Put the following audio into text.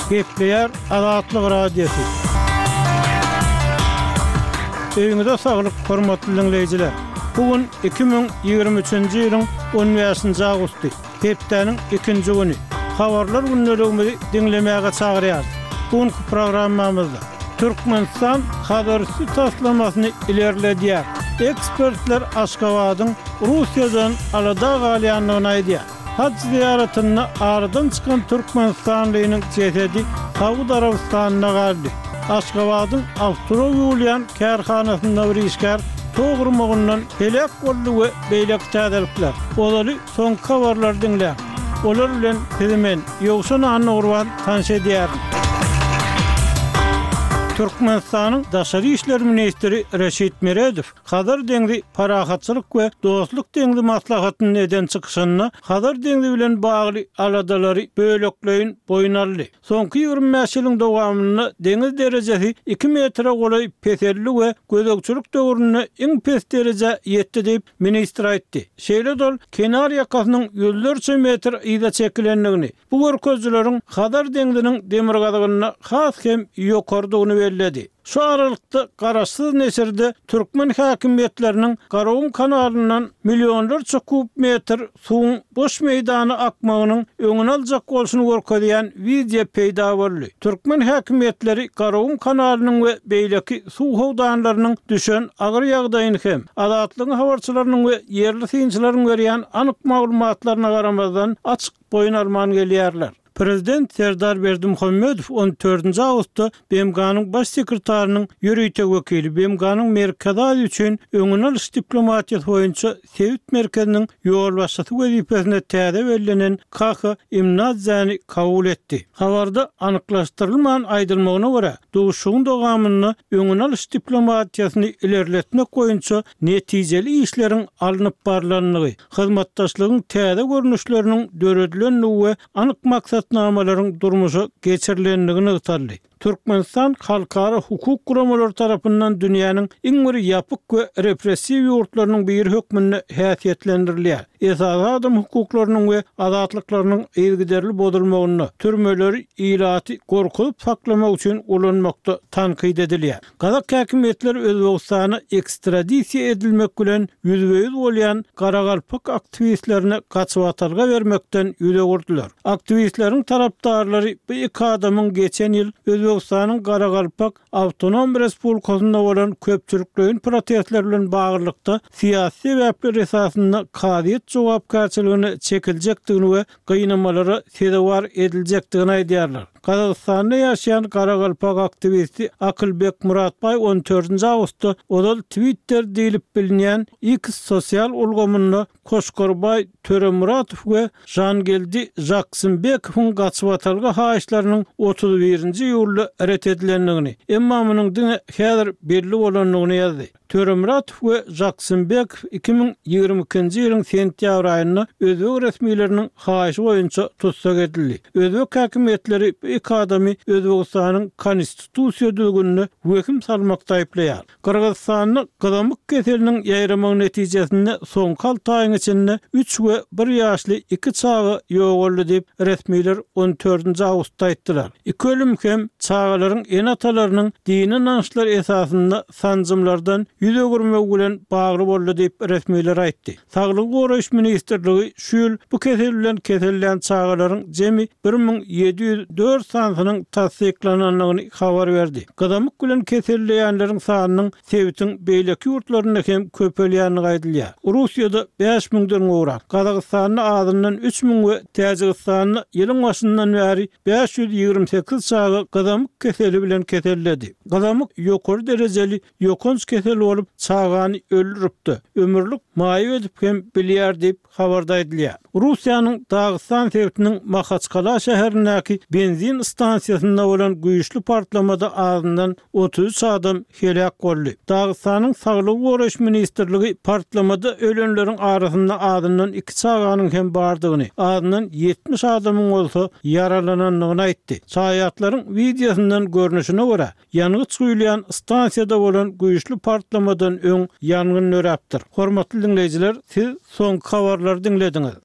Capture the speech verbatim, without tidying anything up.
Gepleýär Azatlyk Radiosy. Öýüňize saglyk, hormatly diňleýjiler! Bu gün iki müň ýigrimi üçünji ýylyň on bäşinji awgusty, hepdäniň ikinji güni. Habarlar gündeligimizi diňlemäge çagyrýarys. Bu günki programmamyzda Türkmenistan Hazarüsti taslamasyny ilerledýär. Ekspertler Aşgabadyň Russiýadan alada galýandygyny aýdýar. Haj zyýaratynda aradan çykan türkmenistanlynyň jesedi Saud Arabystanynda galdy. Aşgabadyň awtoulag ýuwulýan kärhanasynda bir işgär tok urmagyndan heläk boldy we beýleki täzelikler. Ozaly soňky habarlary diňläň. Olar bilen sizi men, Ýowşan Annagurban tanyş edýärin. Türkmenistanyň Daşary işler ministri Reşit Meredow Hazar deňzi parahatçylyk we dostluk deňzi maslahatynda eden çykyşynda Hazar deňzi bilen bagly aladalary bölekleýin boýun aldy. Soňky ýigrimi bäş ýylyň dowamynda deňiz derejesi iki metre golaý peseldi we gözegçilik döwründe iň pes derejä ýetdi diýip, ministr aýtdy. Şeýle-de ol kenar ýakasynyň ýüzlerçe metr yza çekilendigini, bu görkezijileriň Hazar deňziniň demirgazygynda has hem ýokarydygyny belledi. Şu aralykda, garaşsyz neşirde türkmen häkimiýetleriniň Garagum kanalyndan millionlarça kub metr suwuň boş meýdana akmagynyň öňüni aljak bolşuny görkezýän wideo peýda boldy. Türkmen häkimiýetleri Garagum kanalynyň we beýleki suw howdanlarynyň düşen agyr ýagdaýyny hem, Azatlygyň habarçylarynyň we ýerli synçylaryň berýän anyk maglumatlaryna garamazdan, açyk boýun alman gelýärler. Prezident Serdar Berdimuhamedow on dördünji awgustda B M G-nyň Baş sekretarynyň ýörite wekili, B M G-nyň Merkezi Aziýa üçin öňüni alyş diplomatiýasy boýunça sebit merkeziniň ýolbaşçysy wezipesine täze bellenen Kaha Imnadzäni kabul etdi. Habarda anyklaşdyrylman aýdylmagyna görä, duşuşygyň dowamynda öňüni alyş diplomatiýasyny ilerletmek boýunça netijeli işleriň alnyp barlandygy, hyzmatdaşlygyň täze görnüşleriniň döredilendigi we anyk maksatnamalaryň durmuşa geçirilendigi nygtaldy. Türkmenistan halkara hukuk guramalary tarapyndan dünýäniň iň bir ýapyk we repressiw ýurtlarynyň biri hökmünde häsiýetlendirilýär. Esasy adam hukuklarynyň we azatlyklarynyň yzygiderli bozulmagynda, türmeleri ilaty gorkuzyp saklamak üçin ulanmakda tankyt edilýär. Gazak häkimiýetleri Özbegistana ekstradisiýa edilmek bilen ýüzbe-ýüz bolýan garagalpak aktiwistlerine gaçybatalga bermekden ýüz öwürdiler. Aktiwistleriň tarapdarlary bu iki adamyň geçen ýyl Özbegistanyň Garagalpak awtonom respublikasynda bolan köpçülikleýin protestler bilen baglylykda syýasy sebäpler esasynda kazyýet jogapkärçiligine çekiljekdigini we gynamalara sezewar ediljekdigini aýdýarlar. Gazagystanda ýaşaýan garagalpak aktiwisti Akylbek Muratbaý on dördünji awgustda ozal Twitter diýlip bilinýän X sosial ulgamynda Koşkorbaý Töremuratow we Žangeldi Žaksymbekowyň gaçybatalga haýyşlarynyň otuz birinji iýulda ret edilendigini, emma munuň diňe häzir belli bolandygyny ýazdy. Töremuratow we Žaksymbekow iki müň ýigrimi ikinji ýylyň sentýabr aýynda özbek resmileriniň haýyşy boýunça tussag edildi. Özbek häkimiýetleri bu iki adamy Özbegistanyň konstitusiýa düzgünine wehim salmakda aýyplaýar. Gyrgyzystanda gyzamyk keseliniň ýaýramagy netijesinde soňky alty aýyň içinde üç we bir ýaşly iki çaga ýogaldy diýip, resmiler on dördünji awgustda aýtdylar. Iki ölüm hem çagalaryň ene-atalarynyň dini ynançlar esasynda sanjymlardan ýüz öwürmegi bilen bagly boldy diýip, resmiler aýtdy. Saglygy goraýyş ministrligi şu ýyl bu kesel bilen kesellän çagalaryň jemi bir müň ýedi ýüz dört sanysynyň tassyklanandygyny habar berdi. Gyzamyk bilen keselleýänleriň sanynyň sebitiň beýleki ýurtlarynda hem köpelýändigi aýdylýar. Russiýada bäş müňden gowrak, Gazagystanda azyndan üç müň we Täjigistanda ýylyň başyndan bäri bäş ýüz ýigrimi sekiz çaga gyzamyk keseli bilen keselledi. Gyzamyk ýokary derejeli ýokanç kesel bolup, çagany öldürip-de, ömürlik maýyp edip hem bilýär diýip, habarda aýdylýar. Russiýanyň Dagystan sebitiniň Mahaçkala şäherindäki benzin stansiýasynda bolan güýçli partlamada azyndan otuz üç adam heläk boldy. Dagystanyň Saglygy goraýyş ministrligi partlamada ölenleriň arasynda azyndan iki çaganyň hem bardygyny, azyndan ýetmiş adamyň bolsa ýaralanandygyny aýtdy. Şaýatlaryň wideosyndan görnüşine görä, ýangyç guýulýan stansiýada bolan güýçli partlamadan öň ýangyn döräpdir. Hormatly diňleýjiler, siz soňky habarlary diňlediňiz.